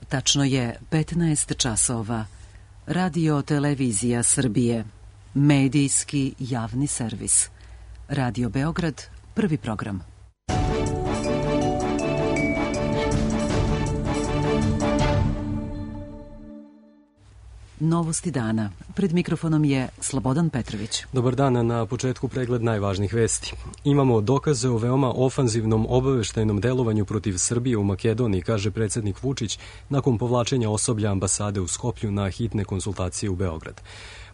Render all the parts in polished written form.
Tačno je 15 časova. Radio Televizija Srbije. Medijski javni servis. Radio Beograd, prvi program. Novosti dana. Pred mikrofonom je Slobodan Petrović. Dobar dan, na početku pregled najvažnijih vesti. Imamo dokaze o veoma ofanzivnom obaveštajnom delovanju protiv Srbije u Makedoniji, kaže predsjednik Vučić nakon povlačenja osoblja ambasade u Skoplju na hitne konsultacije u Beograd.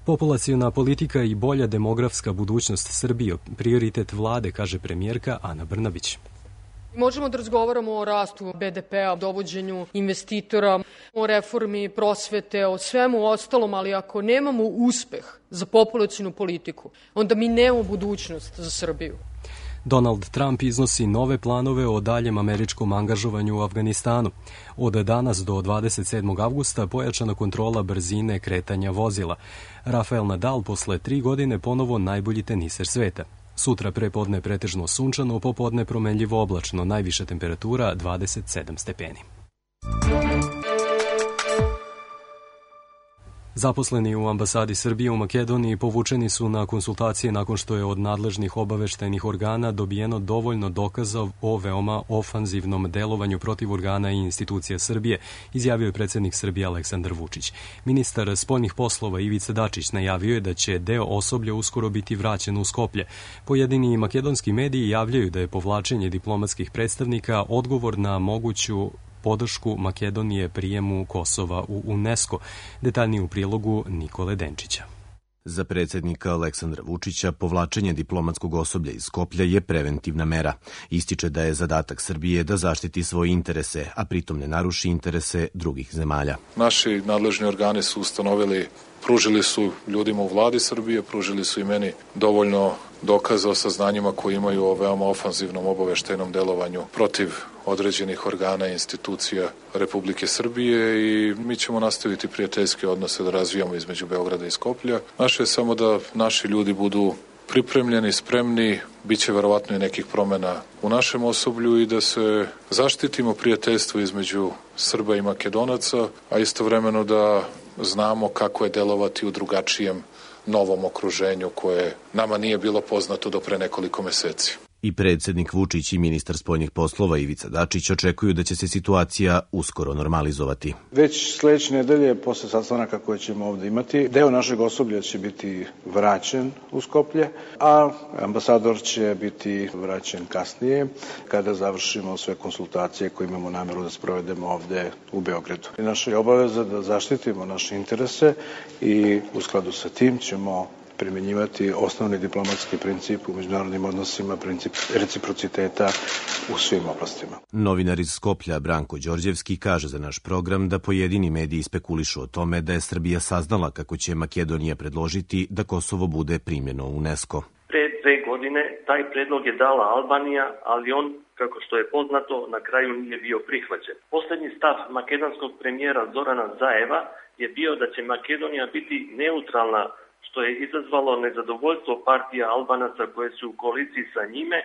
Populaciona politika i bolja demografska budućnost Srbije, prioritet vlade, kaže premijerka Ana Brnabić. Možemo da razgovaramo o rastu BDP-a, dovođenju investitora, o reformi prosvete, o svemu ostalom, ali ako nemamo uspeh za populacionu politiku, onda mi nemamo budućnost za Srbiju. Donald Trump iznosi nove planove o daljem američkom angažovanju u Afganistanu. Od danas do 27. avgusta pojačana kontrola brzine kretanja vozila. Rafael Nadal posle 3 godine ponovo najbolji teniser sveta. Sutra prepodne pretežno sunčano, popodne promenljivo oblačno, najviša temperatura 27 stepeni. Zaposleni u ambasadi Srbije u Makedoniji povučeni su na konsultacije nakon što je od nadležnih obaveštajnih organa dobijeno dovoljno dokaza o veoma ofanzivnom delovanju protiv organa i institucija Srbije, izjavio je predsjednik Srbije Aleksandar Vučić. Ministar spoljnih poslova Ivica Dačić najavio je da će deo osoblja uskoro biti vraćen u Skoplje. Pojedini makedonski mediji javljaju da je povlačenje diplomatskih predstavnika odgovor na moguću podršku Makedonije prijemu Kosova u UNESCO. Detaljnije u prilogu Nikole Denčića. Za predsjednika Aleksandra Vučića povlačenje diplomatskog osoblja iz Skoplja je preventivna mera. Ističe da je zadatak Srbije da zaštiti svoje interese, a pritom ne naruši interese drugih zemalja. Naši nadležni organi su ustanovili, pružili su ljudima u vladi Srbije, pružili su i meni dovoljno dokaza o saznanjima koje imaju o veoma ofanzivnom obaveštajnom delovanju protiv određenih organa i institucija Republike Srbije i mi ćemo nastaviti prijateljske odnose da razvijamo između Beograda i Skoplja. Naše je samo da naši ljudi budu pripremljeni, spremni, bit će verovatno i nekih promena u našem osoblju i da se zaštitimo prijateljstvo između Srba i Makedonaca, a istovremeno da znamo kako je delovati u drugačijem novom okruženju koje nama nije bilo poznato do pre nekoliko meseci. I predsjednik Vučić i ministar spoljnih poslova Ivica Dačić očekuju da će se situacija uskoro normalizovati. Već sledeće nedelje, posle sastanaka koje ćemo ovde imati, deo našeg osoblja će biti vraćen u Skoplje, a ambasador će biti vraćen kasnije kada završimo sve konsultacije koje imamo nameru da sprovedemo ovde u Beogradu. I naša je obaveza da zaštitimo naše interese i u skladu sa tim ćemo primjenjivati osnovni diplomatski princip u međunarodnim odnosima, princip reciprociteta u svim oblastima. Novinar iz Skoplja Branko Đorđevski kaže za naš program da pojedini mediji spekulišu o tome da je Srbija saznala kako će Makedonija predložiti da Kosovo bude primljeno u UNESCO. Pre 2 godine taj predlog je dala Albanija, ali on, kako što je poznato, na kraju nije bio prihvaćen. Poslednji stav makedonskog premijera Zorana Zaeva je bio da će Makedonija biti neutralna, što je izazvalo nezadovoljstvo partija Albanaca koje su u koaliciji sa njime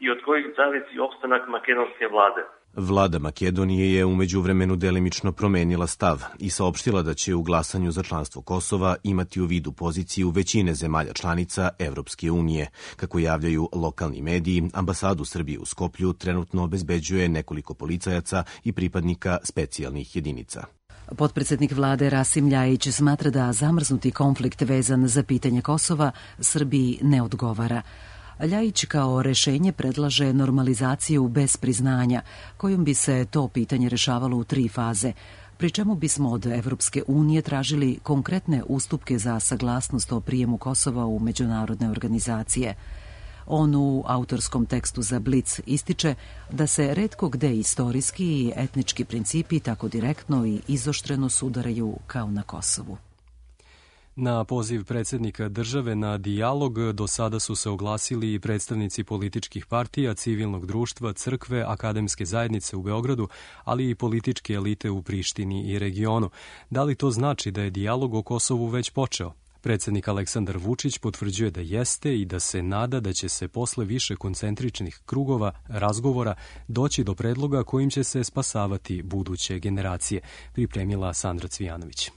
i od kojih zavisi opstanak makedonske vlade. Vlada Makedonije je u međuvremenu delimično promenila stav i saopštila da će u glasanju za članstvo Kosova imati u vidu poziciju većine zemalja članica Evropske unije. Kako javljaju lokalni mediji, ambasadu Srbije u Skoplju trenutno obezbeđuje nekoliko policajaca i pripadnika specijalnih jedinica. Potpredsednik vlade Rasim Ljajić smatra da zamrznuti konflikt vezan za pitanje Kosova Srbiji ne odgovara. Ljajić kao rešenje predlaže normalizaciju bez priznanja, kojom bi se to pitanje rešavalo u 3 faze, pri čemu bismo od Evropske unije tražili konkretne ustupke za saglasnost o prijemu Kosova u međunarodne organizacije. On u autorskom tekstu za Blic ističe da se retko gde istorijski i etnički principi tako direktno i izoštreno sudaraju kao na Kosovu. Na poziv predsjednika države na dijalog do sada su se oglasili i predstavnici političkih partija, civilnog društva, crkve, akademske zajednice u Beogradu, ali i političke elite u Prištini i regionu. Da li to znači da je dijalog o Kosovu već počeo? Predsjednik Aleksandar Vučić potvrđuje da jeste i da se nada da će se posle više koncentričnih krugova razgovora doći do predloga kojim će se spasavati buduće generacije, pripremila Sandra Cvijanović.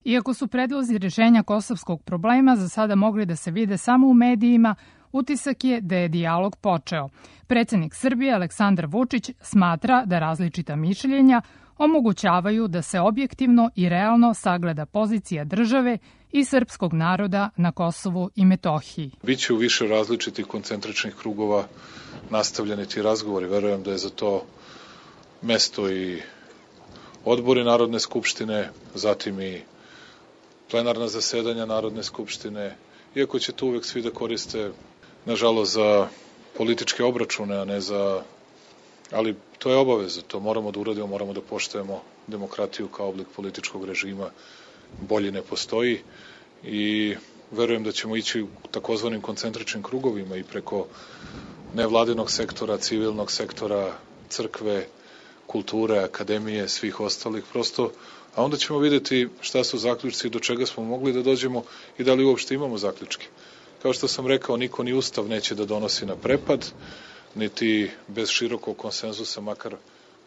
Iako su predlozi rješenja kosovskog problema za sada mogli da se vide samo u medijima, utisak je da je dijalog počeo. Predsjednik Srbije Aleksandar Vučić smatra da različita mišljenja omogućavaju da se objektivno i realno sagleda pozicija države i srpskog naroda na Kosovu i Metohiji. Biće u više različitih koncentričnih krugova nastavljeni ti razgovori. Verujem da je za to mesto i odbori Narodne skupštine, zatim i plenarna zasedanja Narodne skupštine, iako će to uvek svi da koriste, nažalost, za političke obračune, a ne za... Ali to je obaveza, to moramo da uradimo, moramo da poštujemo demokratiju kao oblik političkog režima, bolji ne postoji i verujem da ćemo ići u takozvanim koncentričnim krugovima i preko nevladinog sektora, civilnog sektora, crkve, kulture, akademije, svih ostalih prosto, a onda ćemo videti šta su zaključci i do čega smo mogli da dođemo i da li uopšte imamo zaključke. Kao što sam rekao, niko ni ustav neće da donosi na prepad, niti bez širokog konsenzusa, makar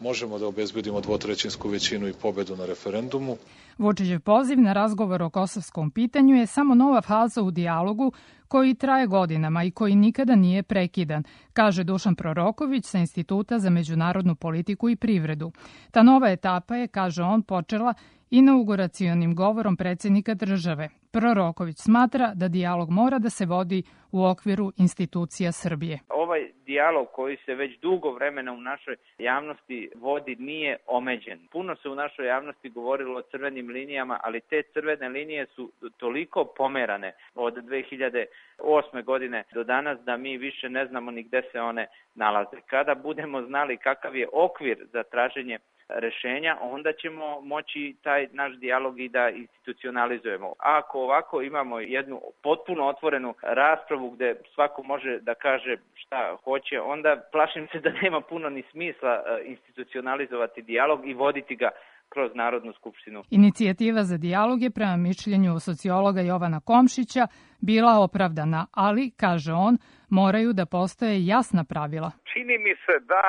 možemo da obezbedimo dvotrećinsku većinu i pobedu na referendumu. Vučićev poziv na razgovor o kosovskom pitanju je samo nova faza u dijalogu koji traje godinama i koji nikada nije prekidan, kaže Dušan Proroković sa Instituta za međunarodnu politiku i privredu. Ta nova etapa je, kaže on, počela inauguracionim govorom predsjednika države. Proroković smatra da dijalog mora da se vodi u okviru institucija Srbije. Ovaj dijalog koji se već dugo vremena u našoj javnosti vodi nije omeđen. Puno se u našoj javnosti govorilo o crvenim linijama, ali te crvene linije su toliko pomerane od 2008. godine do danas da mi više ne znamo ni gde se one nalaze. Kada budemo znali kakav je okvir za traženje rešenja, onda ćemo moći taj naš dijalog i da institucionalizujemo. Ako ovako imamo jednu potpuno otvorenu raspravu gde svako može da kaže šta hoće, onda plašim se da nema puno ni smisla institucionalizovati dijalog i voditi ga kroz Narodnu skupštinu. Inicijativa za dijalog je prema mišljenju sociologa Jovana Komšića bila opravdana, ali, kaže on, moraju da postoje jasna pravila. Čini mi se da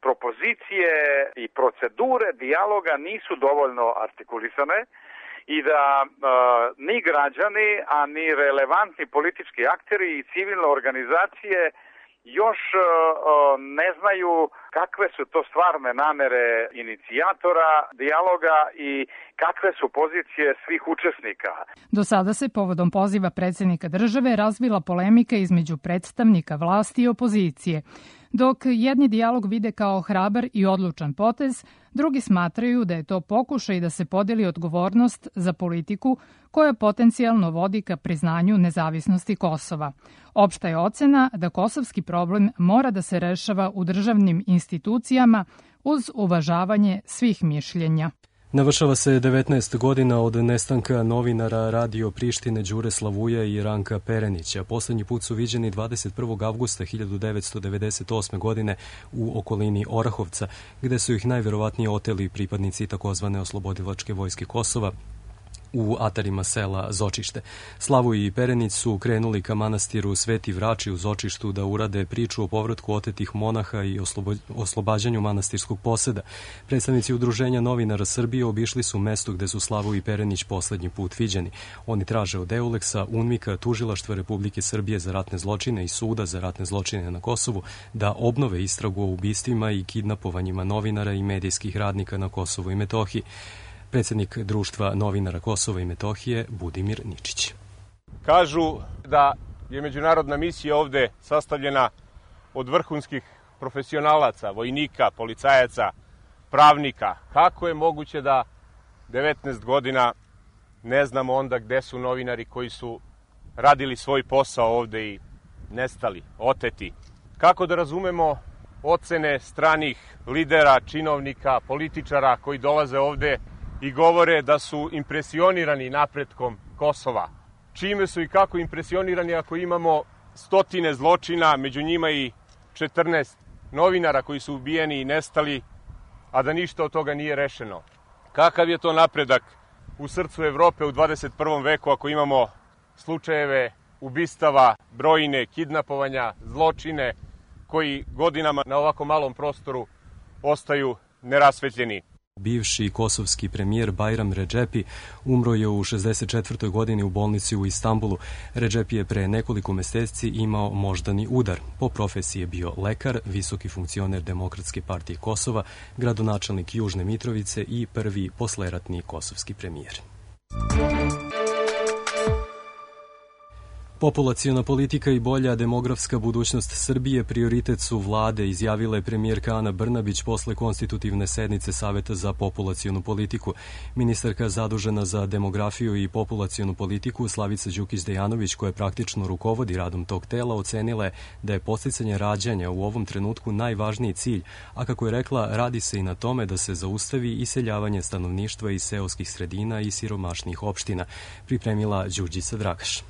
propozicije i procedure dijaloga nisu dovoljno artikulisane i da ni građani, a ni relevantni politički akteri i civilne organizacije još ne znaju kakve su to stvarne namere inicijatora dijaloga i kakve su pozicije svih učesnika. Do sada se povodom poziva predsjednika države razvila polemika između predstavnika vlasti i opozicije. Dok jedni dijalog vide kao hrabar i odlučan potez, drugi smatraju da je to pokušaj da se podeli odgovornost za politiku koja potencijalno vodi ka priznanju nezavisnosti Kosova. Opšta je ocena da kosovski problem mora da se rešava u državnim institucijama uz uvažavanje svih mišljenja. Navršava se 19 godina od nestanka novinara Radio Prištine Đure Slavuja i Ranka Perenića. Poslednji put su viđeni 21. avgusta 1998. godine u okolini Orahovca, gde su ih najverovatnije oteli pripadnici takozvane oslobodilačke vojske Kosova u atarima sela Zočište. Slavoj i Perenić su krenuli ka manastiru Sveti Vrači u Zočištu da urade priču o povratku otetih monaha i oslobađanju manastirskog poseda. Predstavnici Udruženja novinara Srbije obišli su mesto gde su Slavoj i Perenić poslednji put viđeni. Oni traže od Euleksa, UNMIK-a, Tužilaštva Republike Srbije za ratne zločine i Suda za ratne zločine na Kosovu da obnove istragu o ubistvima i kidnapovanjima novinara i medijskih radnika na Kosovu i Metohiji. Predsjednik Društva novinara Kosova i Metohije Budimir Ničić. Kažu da je međunarodna misija ovde sastavljena od vrhunskih profesionalaca, vojnika, policajaca, pravnika. Kako je moguće da 19 godina ne znamo onda gde su novinari koji su radili svoj posao ovde i nestali, oteti? Kako da razumemo ocene stranih lidera, činovnika, političara koji dolaze ovde i govore da su impresionirani napretkom Kosova? Čime su i kako impresionirani ako imamo stotine zločina, među njima i 14 novinara koji su ubijeni i nestali, a da ništa od toga nije rešeno? Kakav je to napredak u srcu Evrope u 21. veku ako imamo slučajeve ubistava, brojne kidnapovanja, zločine koji godinama na ovako malom prostoru ostaju nerasvetljeni. Bivši kosovski premijer Bajram Redžepi umro je u 64. godini u bolnici u Istanbulu. Redžepi je pre nekoliko meseci imao moždani udar. Po profesiji je bio lekar, visoki funkcioner Demokratske partije Kosova, gradonačelnik Južne Mitrovice i prvi posleratni kosovski premijer. Populaciona politika i bolja demografska budućnost Srbije prioritet su vlade, izjavila je premijerka Ana Brnabić posle konstitutivne sednice Saveta za populacionu politiku. Ministarka zadužena za demografiju i populacionu politiku Slavica Đukić-Dejanović, koja praktično rukovodi radom tog tela, ocenila je da je podsticanje rađanja u ovom trenutku najvažniji cilj, a kako je rekla, radi se i na tome da se zaustavi iseljavanje stanovništva iz seoskih sredina i siromašnih opština, pripremila Đurđica Dragaš.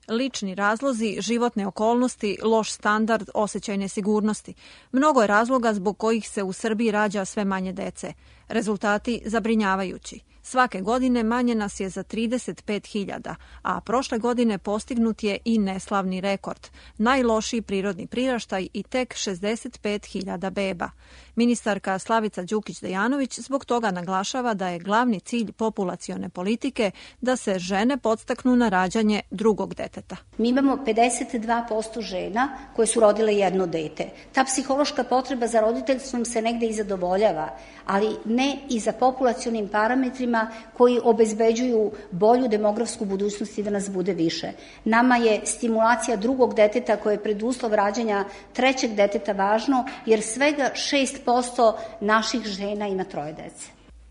Lični razlozi, životne okolnosti, loš standard, osjećaj nesigurnosti. Mnogo je razloga zbog kojih se u Srbiji rađa sve manje dece. Rezultati zabrinjavajući. Svake godine manje nas je za 35.000, a prošle godine postignut je i neslavni rekord. Najlošiji prirodni priraštaj i tek 65.000 beba. Ministarka Slavica Đukić-Dejanović zbog toga naglašava da je glavni cilj populacione politike da se žene podstaknu na rađanje drugog deteta. Mi imamo 52% žena koje su rodile jedno dete. Ta psihološka potreba za roditeljstvom se negde i zadovoljava, ali ne i za populacionim parametrima koji obezbeđuju bolju demografsku budućnost i da nas bude više. Nama je stimulacija drugog deteta koje je preduslov rađanja trećeg deteta važno, jer svega 6% naših žena ima 3 dece.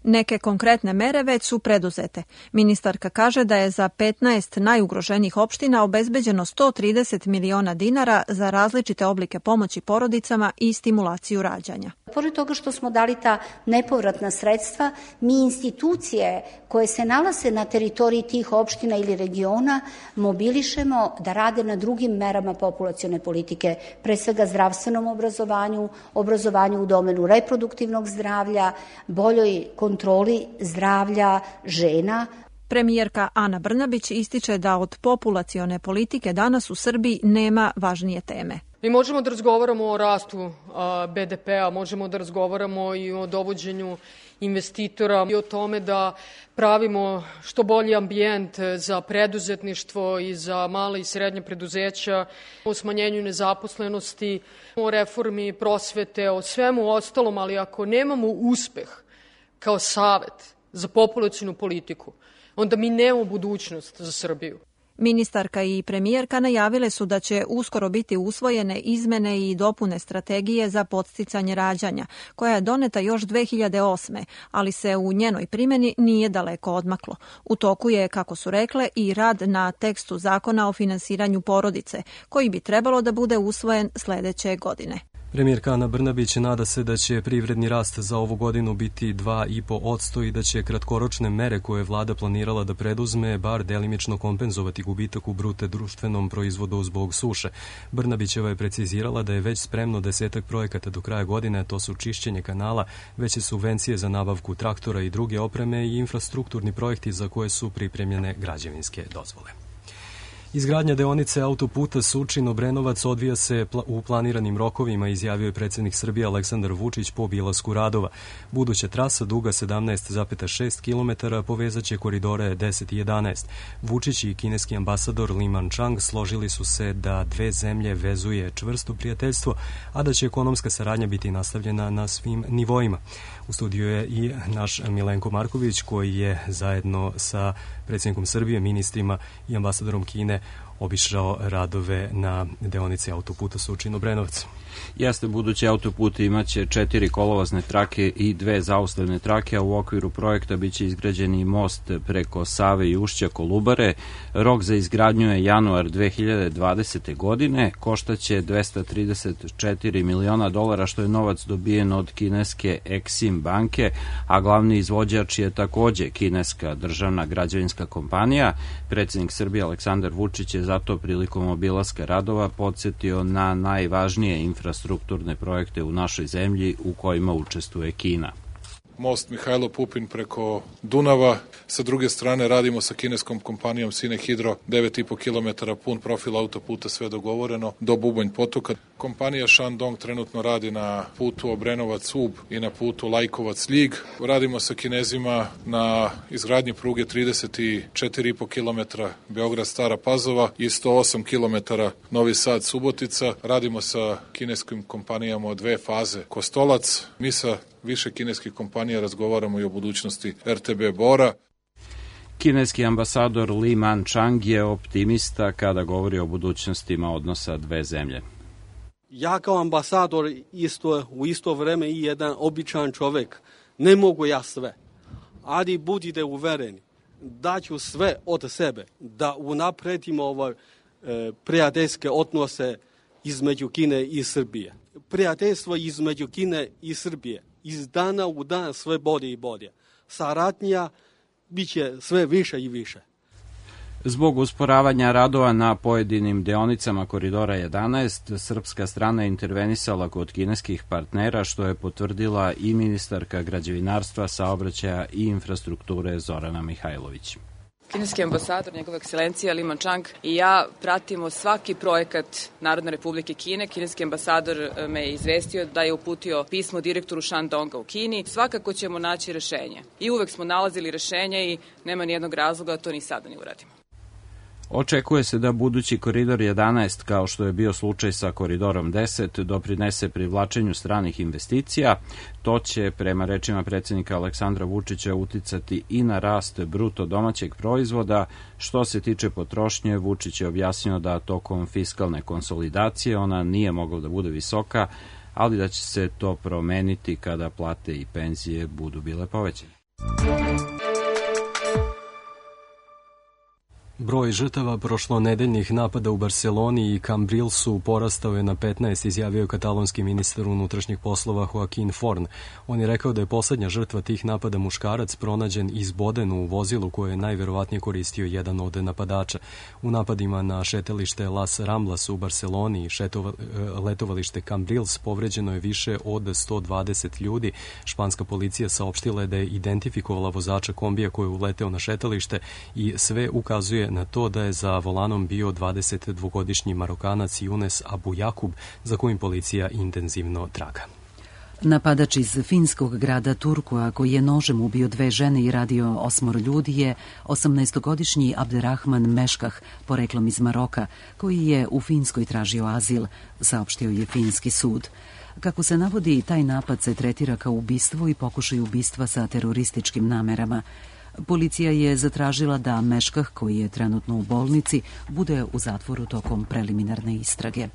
Neke konkretne mere već su preduzete. Ministarka kaže da je za 15 najugroženijih opština obezbeđeno 130 miliona dinara za različite oblike pomoći porodicama i stimulaciju rađanja. Pored toga što smo dali ta nepovratna sredstva, mi institucije koje se nalaze na teritoriji tih opština ili regiona mobilišemo da rade na drugim merama populacione politike, pre svega zdravstvenom obrazovanju, obrazovanju u domenu reproduktivnog zdravlja, boljoj kontroli zdravlja žena. Premijerka Ana Brnabić ističe da od populacione politike danas u Srbiji nema važnije teme. Mi možemo da razgovaramo o rastu BDP-a, možemo da razgovaramo i o dovođenju investitora i o tome da pravimo što bolji ambijent za preduzetništvo i za male i srednje preduzeća, o smanjenju nezaposlenosti, o reformi prosvete, o svemu ostalom, ali ako nemamo uspeh kao savet za populacionu politiku, onda mi nemamo budućnost za Srbiju. Ministarka i premijerka najavile su da će uskoro biti usvojene izmene i dopune strategije za podsticanje rađanja, koja je doneta još 2008. ali se u njenoj primjeni nije daleko odmaklo. U toku je, kako su rekle, i rad na tekstu zakona o finansiranju porodice, koji bi trebalo da bude usvojen sledeće godine. Premijerka Ana Brnabić nada se da će privredni rast za ovu godinu biti 2,5% i da će kratkoročne mere koje je vlada planirala da preduzme bar delimično kompenzovati gubitak u bruto društvenom proizvodu zbog suše. Brnabićeva je precizirala da je već spremno 10 projekata do kraja godine, to su čišćenje kanala, veće subvencije za nabavku traktora i druge opreme i infrastrukturni projekti za koje su pripremljene građevinske dozvole. Izgradnja deonice autoputa Surčin-Obrenovac odvija se u planiranim rokovima, izjavio je predsjednik Srbije Aleksandar Vučić po obilasku radova. Buduća trasa duga 17,6 km povezaće koridore 10 i 11. Vučić i kineski ambasador Li Manchang složili su se da dve zemlje vezuje čvrsto prijateljstvo, a da će ekonomska saradnja biti nastavljena na svim nivoima. U studiju je i naš Milenko Marković, koji je zajedno sa predsjednikom Srbije, ministrima i ambasadorom Kine obišao radove na deonici autoputa Surčin-Obrenovac. Jeste, budući autoput imaće 4 kolovozne trake i 2 zaustavne trake, a u okviru projekta biće izgrađen i most preko Save i ušća Kolubare. Rok za izgradnju je januar 2020. godine, koštaće $234 miliona, što je novac dobijen od kineske Exim banke, a glavni izvođač je takođe kineska državna građevinska kompanija. Predsjednik Srbije Aleksandar Vučić je zato prilikom obilaska radova podsjetio na najvažnije infrastrukturne projekte u našoj zemlji u kojima učestvuje Kina. most Mihajlo Pupin preko Dunava. Sa druge strane radimo sa kineskom kompanijom Sinehidro, 9,5 km pun profil autoputa, sve dogovoreno, do Bubanj potoka. Kompanija Shandong trenutno radi na putu Obrenovac-Ub i na putu Lajkovac-Ljig. Radimo sa Kinezima na izgradnji pruge 34,5 km Beograd-Stara Pazova i 108 km Novi Sad-Subotica. Radimo sa kineskim kompanijama od 2 faze Kostolac. Mi sa više kineskih kompanija razgovaramo i o budućnosti RTB Bora. Kineski ambasador Li Manchang je optimista kada govori o budućnostima odnosa dve zemlje. Ja kao ambasador u isto vreme i jedan običan čovjek. Ne mogu ja sve, ali budite uvereni, daću sve od sebe da unapredimo prijateljske odnose između Kine i Srbije. Prijateljstvo između Kine i Srbije iz dana u dan sve bolje i bolje. Saradnja bit će sve više i više. Zbog usporavanja radova na pojedinim deonicama Koridora 11, srpska strana je intervenisala kod kineskih partnera, što je potvrdila i ministarka građevinarstva, saobraćaja i infrastrukture Zorana Mihajlović. Kineski ambasador, njegova ekscelencija Li Manchang i ja pratimo svaki projekat Narodne republike Kine. Kineski ambasador me je izvestio da je uputio pismo direktoru Shandonga u Kini. Svakako ćemo naći rešenje. I uvek smo nalazili rešenje i nema nijednog razloga da to ni sada ne uradimo. Očekuje se da budući koridor 11, kao što je bio slučaj sa koridorom 10, doprinese privlačenju stranih investicija. To će, prema rečima predsjednika Aleksandra Vučića, uticati i na rast bruto domaćeg proizvoda. Što se tiče potrošnje, Vučić je objasnio da tokom fiskalne konsolidacije ona nije mogla da bude visoka, ali da će se to promeniti kada plate i penzije budu bile povećane. Broj žrtava prošlonedeljnih napada u Barseloni i Cambrilsu porastao je na 15, izjavio je katalonski ministar unutrašnjih poslova Joaquin Forn. On je rekao da je poslednja žrtva tih napada muškarac pronađen izboden u vozilu koje je najverovatnije koristio jedan od napadača. U napadima na šetalište Las Ramblas u Barseloni i letovalište Cambrils povređeno je više od 120 ljudi. Španska policija saopštila je da je identifikovala vozača kombija koji je uleteo na šetalište i sve ukazuje na to da je za volanom bio 22-godišnji Marokanac Younes Abu Jakub, za kojim policija intenzivno traga. Napadač iz finskog grada Turkua, koji je nožem ubio 2 žene i radio 8 ljudi, je 18-godišnji Abderrahman Meškah, poreklom iz Maroka, koji je u Finskoj tražio azil, saopštio je finski sud. Kako se navodi, taj napad se tretira kao ubistvo i pokušaj ubistva sa terorističkim namerama. Policija je zatražila da Meškah, koji je trenutno u bolnici, bude u zatvoru tokom preliminarne istrage.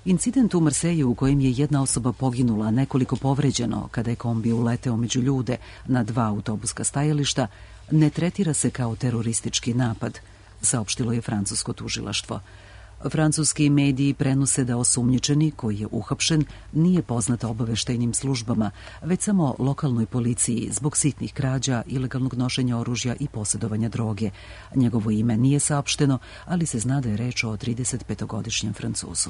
Incident u Marseju u kojem je jedna osoba poginula, nekoliko povređeno kada je kombi uleteo među ljude na 2 autobuska stajališta, ne tretira se kao teroristički napad, saopštilo je francusko tužilaštvo. Francuski mediji prenose da osumnjičeni, koji je uhapšen, nije poznat obaveštajnim službama, već samo lokalnoj policiji zbog sitnih krađa, ilegalnog nošenja oružja i posjedovanja droge. Njegovo ime nije saopšteno, ali se zna da je reč o 35-godišnjem Francuzu.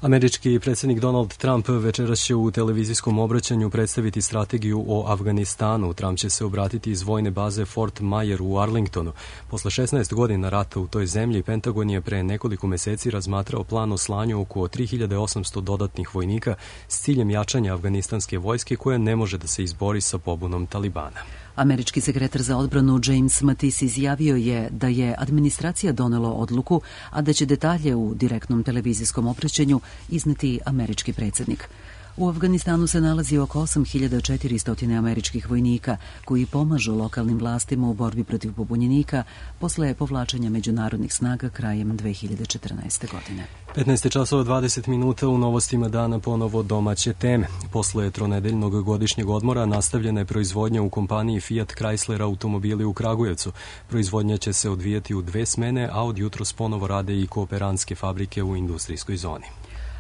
Američki predsjednik Donald Trump večeras će u televizijskom obraćanju predstaviti strategiju o Afganistanu. Trump će se obratiti iz vojne baze Fort Myer u Arlingtonu. Posle 16 godina rata u toj zemlji, Pentagon je pre nekoliko meseci razmatrao plan o slanju oko 3800 dodatnih vojnika s ciljem jačanja afganistanske vojske koja ne može da se izbori sa pobunom Talibana. Američki sekretar za odbranu James Mattis izjavio je da je administracija donela odluku, a da će detalje u direktnom televizijskom obraćanju izneti američki predsjednik. U Afganistanu se nalazi oko 8400 američkih vojnika koji pomažu lokalnim vlastima u borbi protiv pobunjenika posle povlačenja međunarodnih snaga krajem 2014. godine. 15:20 u novostima dana ponovo domaće teme. Posle tronedeljnog godišnjeg odmora nastavljena je proizvodnja u kompaniji Fiat Chrysler automobili u Kragujevcu. Proizvodnja će se odvijati u 2 smene, a od jutros ponovo rade i kooperantske fabrike u industrijskoj zoni.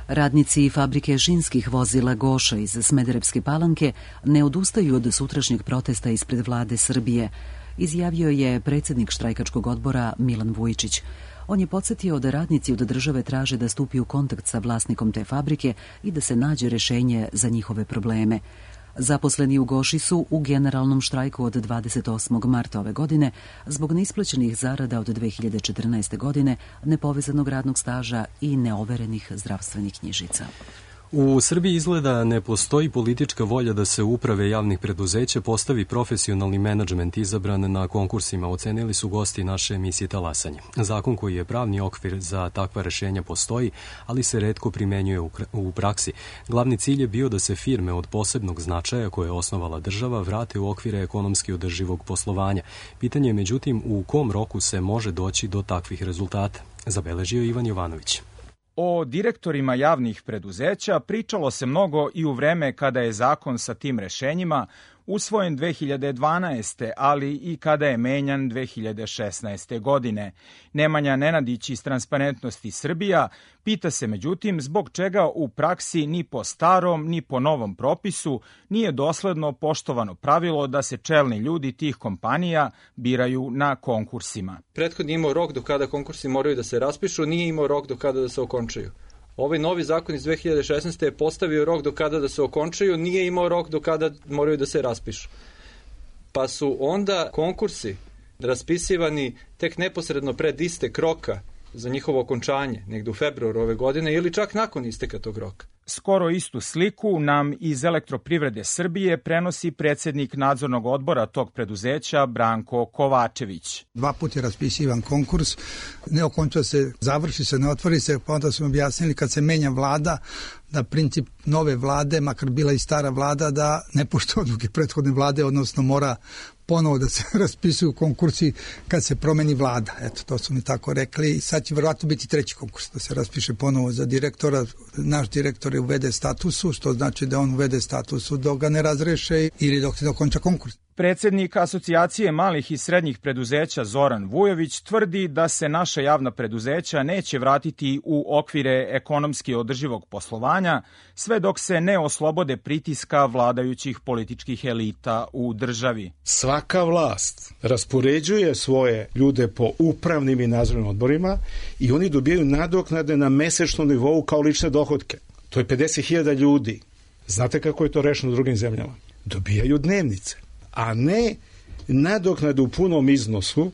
Radnici fabrike žinskih vozila Goša iz Smederevske Palanke ne odustaju od sutrašnjeg protesta ispred vlade Srbije, izjavio je predsjednik štrajkačkog odbora Milan Vujčić. On je podsjetio da radnici od države traže da stupi u kontakt sa vlasnikom te fabrike i da se nađe rešenje za njihove probleme. Zaposleni u Goši su u generalnom štrajku od 28. marta ove godine zbog neisplaćenih zarada od 2014. godine, nepovezanog radnog staža i neoverenih zdravstvenih knjižica. U Srbiji izgleda ne postoji politička volja da se uprave javnih preduzeća postavi profesionalni menadžment izabran na konkursima, ocenili su gosti naše emisije Talasanje. Zakon koji je pravni okvir za takva rešenja postoji, ali se retko primenjuje u praksi. Glavni cilj je bio da se firme od posebnog značaja koje je osnovala država vrate u okvire ekonomski održivog poslovanja. Pitanje je međutim u kom roku se može doći do takvih rezultata, zabeležio Ivan Jovanović. O direktorima javnih preduzeća pričalo se mnogo i u vreme kada je zakon sa tim rešenjima usvojen 2012. ali i kada je menjan 2016. godine. Nemanja Nenadić iz Transparentnosti Srbija pita se međutim zbog čega u praksi ni po starom ni po novom propisu nije dosledno poštovano pravilo da se čelni ljudi tih kompanija biraju na konkursima. Prethodni imao rok do kada konkursi moraju da se raspišu, nije imao rok do kada da se okončaju. Ovaj novi zakon iz 2016. je postavio rok do kada da se okončaju, nije imao rok do kada moraju da se raspišu. Pa su onda konkursi raspisivani tek neposredno pred istek roka za njihovo okončanje, negde u februaru ove godine ili čak nakon isteka tog roka. Skoro istu sliku nam iz Elektroprivrede Srbije prenosi predsednik nadzornog odbora tog preduzeća Branko Kovačević. 2 puta je raspisivan konkurs, ne okonča se, završi se, ne otvori se, pa onda su objasnili kad se menja vlada, da princip nove vlade, makar bila i stara vlada, da ne poštuje odluke prethodne vlade, odnosno mora ponovo da se raspisuju konkursi kad se promeni vlada. Eto, to su mi tako rekli. Sad će verovatno biti 3. konkurs, da se raspiše ponovo za direktora. Naš direktor je uvede statusu, što znači da on uvede statusu dok ga ne razreše ili dok se dokonča konkurs. Predsednik Asocijacije malih i srednjih preduzeća Zoran Vujović tvrdi da se naša javna preduzeća neće vratiti u okvire ekonomski održivog poslovanja sve dok se ne oslobode pritiska vladajućih političkih elita u državi. Svaka vlast raspoređuje svoje ljude po upravnim i nadzornim odborima i oni dobijaju nadoknade na mesečnom nivou kao lične dohodke. To je 50.000 ljudi. Znate kako je to rešeno u drugim zemljama? Dobijaju dnevnice, a ne nadoknadu u punom iznosu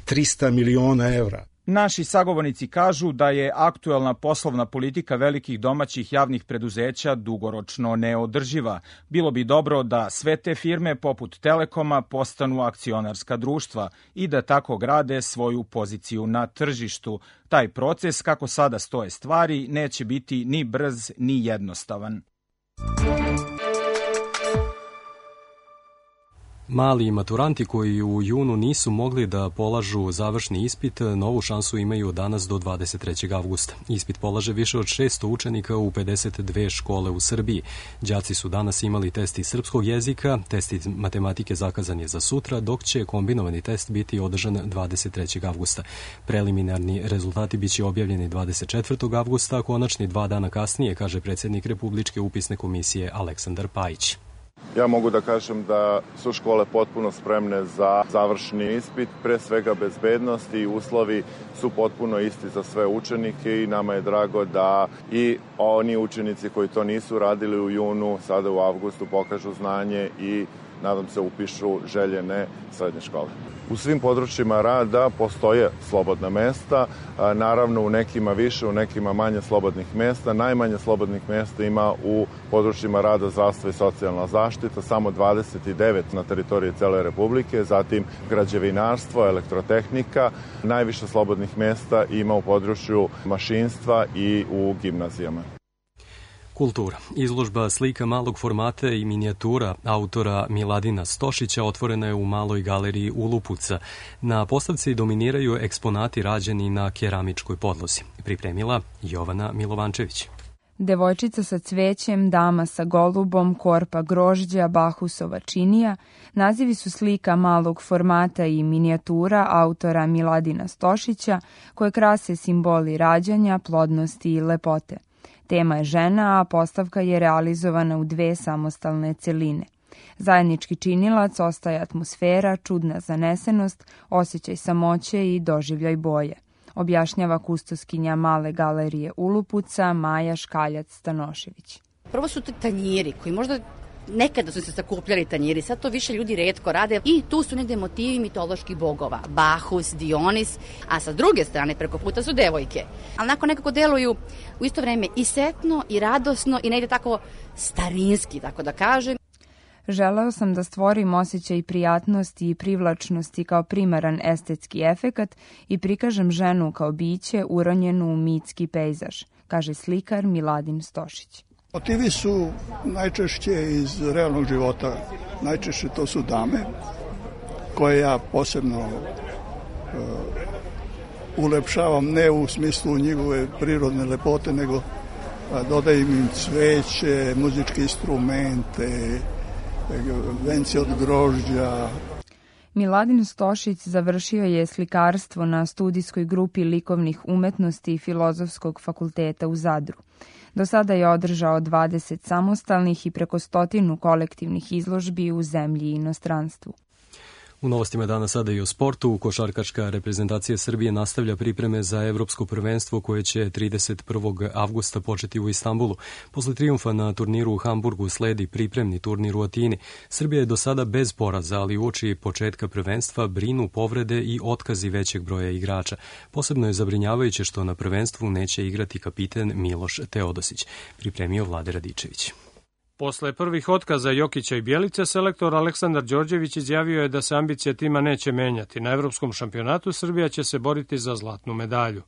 300 miliona evra. Naši sagovornici kažu da je aktuelna poslovna politika velikih domaćih javnih preduzeća dugoročno neodrživa. Bilo bi dobro da sve te firme poput Telekoma postanu akcionarska društva i da tako grade svoju poziciju na tržištu. Taj proces, kako sada stoje stvari, neće biti ni brz ni jednostavan. Mali maturanti koji u junu nisu mogli da polažu završni ispit, novu šansu imaju danas do 23. avgusta. Ispit polaže više od 600 učenika u 52 škole u Srbiji. Đaci su danas imali test iz srpskog jezika, test iz matematike zakazan je za sutra, dok će kombinovani test biti održan 23. avgusta. Preliminarni rezultati biće objavljeni 24. avgusta, a konačni 2 dana kasnije, kaže predsednik Republičke upisne komisije Aleksandar Pajić. Ja mogu da kažem da su škole potpuno spremne za završni ispit, pre svega bezbednost i uslovi su potpuno isti za sve učenike i nama je drago da i oni učenici koji to nisu radili u junu, sada u avgustu pokažu znanje i nadam se upišu željene srednje škole. U svim područjima rada postoje slobodna mesta, naravno u nekima više, u nekima manje slobodnih mesta. Najmanje slobodnih mesta ima u područjima rada, zdravstva i socijalna zaštita, samo 29 na teritoriji cele Republike, zatim građevinarstvo, elektrotehnika. Najviše slobodnih mesta ima u području mašinstva i u gimnazijama. Kultura. Izložba slika malog formata i minijatura autora Miladina Stošića otvorena je u Maloj galeriji Ulupuca. Na postavci dominiraju eksponati rađeni na keramičkoj podlozi. Pripremila Jovana Milovančević. Devojčica sa cvećem, dama sa golubom, korpa grožđa, Bahusova činija, nazivi su slika malog formata i minijatura autora Miladina Stošića, koje krase simboli rađanja, plodnosti i lepote. Tema je žena, a postavka je realizovana u 2 samostalne celine. Zajednički činilac ostaje atmosfera, čudna zanesenost, osjećaj samoće i doživljaj boje, objašnjava kustoskinja Male galerije Ulupuca Maja Škaljac-Stanošević. Prvo su tanjiri koji možda Nekada su se sakupljali tanjiri, sad to više ljudi retko rade i tu su negde motivi mitoloških bogova, Bahus, Dionis, a sa druge strane preko puta su devojke. Ali onako nekako deluju u isto vreme i setno i radosno i negde tako starinski, tako da kažem. Želeo sam da stvorim osjećaj prijatnosti i privlačnosti kao primaran estetski efekat i prikažem ženu kao biće uronjenu u mitski pejzaž, kaže slikar Miladin Stošić. Motivi su najčešće iz realnog života. Najčešće to su dame koje ja posebno ulepšavam, ne u smislu njegove prirodne lepote, nego dodajem im cveće, muzičke instrumente, venci od grožđa. Miladin Stošić završio je slikarstvo na studijskoj grupi likovnih umetnosti Filozofskog fakulteta u Zadru. Do sada je održao 20 samostalnih i preko 100 kolektivnih izložbi u zemlji i inostranstvu. U novostima dana sada i o sportu. Košarkaška reprezentacija Srbije nastavlja pripreme za evropsko prvenstvo koje će 31. avgusta početi u Istanbulu. Posle trijumfa na turniru u Hamburgu sledi pripremni turnir u Atini. Srbija je do sada bez poraza, ali uoči početka prvenstva brinu povrede i otkazi većeg broja igrača. Posebno je zabrinjavajuće što na prvenstvu neće igrati kapiten Miloš Teodosić, pripremio Vlade Radičević. Posle prvih otkaza Jokića i Bjelice, selektor Aleksandar Đorđević izjavio je da se ambicija tima neće menjati. Na evropskom šampionatu Srbija će se boriti za zlatnu medalju.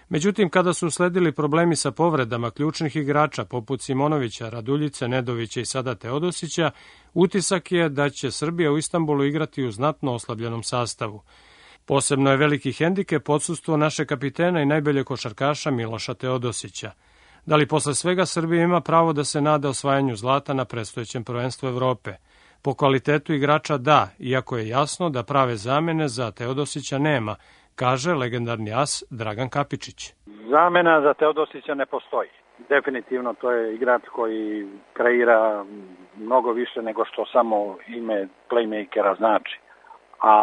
Međutim, kada su usledili problemi sa povredama ključnih igrača poput Simonovića, Raduljice, Nedovića i sada Teodosića, utisak je da će Srbija u Istanbulu igrati u znatno oslabljenom sastavu. Posebno je veliki hendikep odsustvo naše kapitena i najbolje košarkaša Miloša Teodosića. Da li posle svega Srbija ima pravo da se nada osvajanju zlata na predstojećem prvenstvu Evrope? Po kvalitetu igrača da, iako je jasno da prave zamene za Teodosića nema, kaže legendarni as Dragan Kapičić. Zamena za Teodosića ne postoji. Definitivno to je igrač koji kreira mnogo više nego što samo ime playmakera znači. A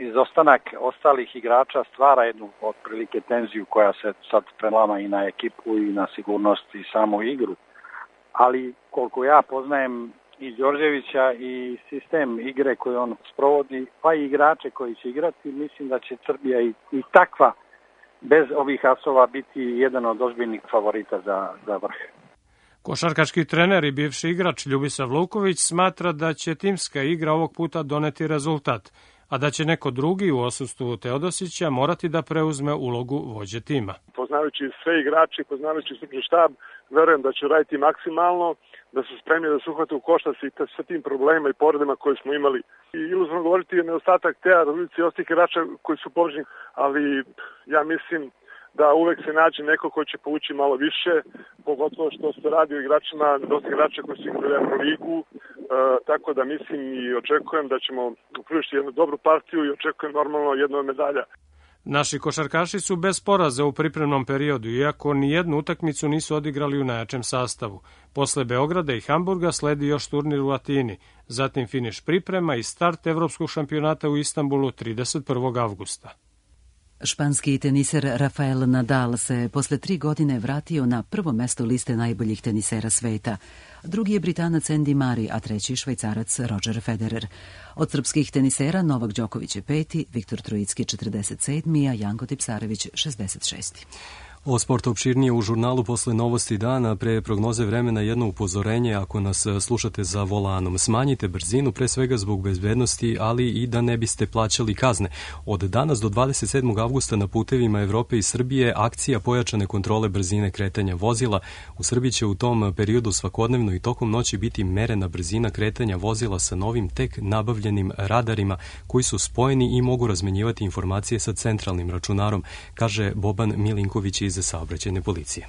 izostanak ostalih igrača stvara jednu otprilike tenziju koja se sad prelama i na ekipu i na sigurnost i samu igru. Ali koliko ja poznajem i Đorđevića i sistem igre koji on sprovodi, pa i igrače koji će igrati, mislim da će Srbija i takva bez ovih asova biti jedan od ozbiljnih favorita za vrh. Košarkaški trener i bivši igrač Ljubisav Luković smatra da će timska igra ovog puta doneti rezultat, a da će neko drugi u odsustvu Teodosića morati da preuzme ulogu vođe tima. Poznavajući sve igrače, poznavajući stručni štab, verujem da će raditi maksimalno, da su spremni da se uhvate u koštac i sa tim problemima i povredama koje smo imali. I iluzorno govoriti je nedostatak Teja, Raduljice i ostalih igrača koji su povređeni, ali ja mislim da uvek se nađe neko ko će povući malo više, pogotovo što se radi o igračima, dosta igrača koji su igrali Euroligu, tako da mislim i očekujem da ćemo pružiti jednu dobru partiju i očekujem normalno jednu medalja. Naši košarkaši su bez poraza u pripremnom periodu, iako ni jednu utakmicu nisu odigrali u najjačem sastavu. Posle Beograda i Hamburga sledi još turnir u Atini, zatim finiš priprema i start evropskog šampionata u Istanbulu 31. avgusta. Španski teniser Rafael Nadal se posle 3 godine vratio na prvo mesto liste najboljih tenisera sveta. Drugi je Britanac Andy Murray, a treći Švajcarac Roger Federer. Od srpskih tenisera Novak Đoković je 5., Viktor Trojicki 47., a Janko Tipsarević 66. O sportu opširnije u žurnalu posle novosti dana, pre prognoze vremena jedno upozorenje ako nas slušate za volanom. Smanjite brzinu, pre svega zbog bezbednosti, ali i da ne biste plaćali kazne. Od danas do 27. avgusta na putevima Evrope i Srbije akcija pojačane kontrole brzine kretanja vozila. U Srbiji će u tom periodu svakodnevno i tokom noći biti merena brzina kretanja vozila sa novim tek nabavljenim radarima koji su spojeni i mogu razmenjivati informacije sa centralnim računarom, kaže Boban Milinković iz saobraćajne policije.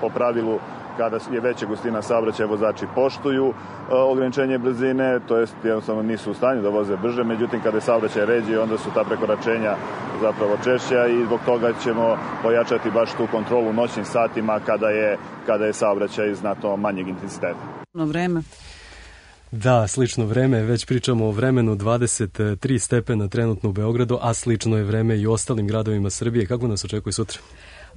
Po pravilu, kada je veća gustina saobraćaja, vozači poštuju ograničenje brzine, to jest jednostavno nisu u stanju da voze brže, međutim kada je saobraćaj ređi, onda su ta prekoračenja zapravo češća i zbog toga ćemo pojačati baš tu kontrolu u noćnim satima kada je saobraćaj znatno manjeg intenziteta. Vreme. Da, slično vreme, već pričamo o vremenu, 23 stepena trenutno u Beogradu, a slično je vreme i u ostalim gradovima Srbije. Kako nas očekuje sutra?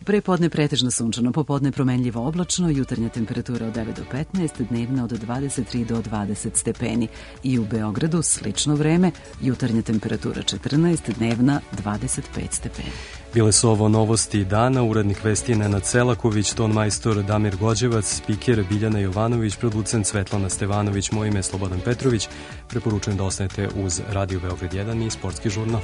Prepodne pretežno sunčano, popodne promenljivo oblačno, jutarnja temperatura od 9 do 15, dnevna od 23 do 20 stepeni. I u Beogradu slično vreme, jutarnja temperatura 14, dnevna 25 stepeni. Bile su ovo novosti dana, urednik vesti Nenad Selaković, ton majstor Damir Gođevac, spiker Biljana Jovanović, producent Svetlana Stevanović, moje ime je Slobodan Petrović. Preporučujem da ostanete uz Radio Beograd 1 i Sportski žurnal.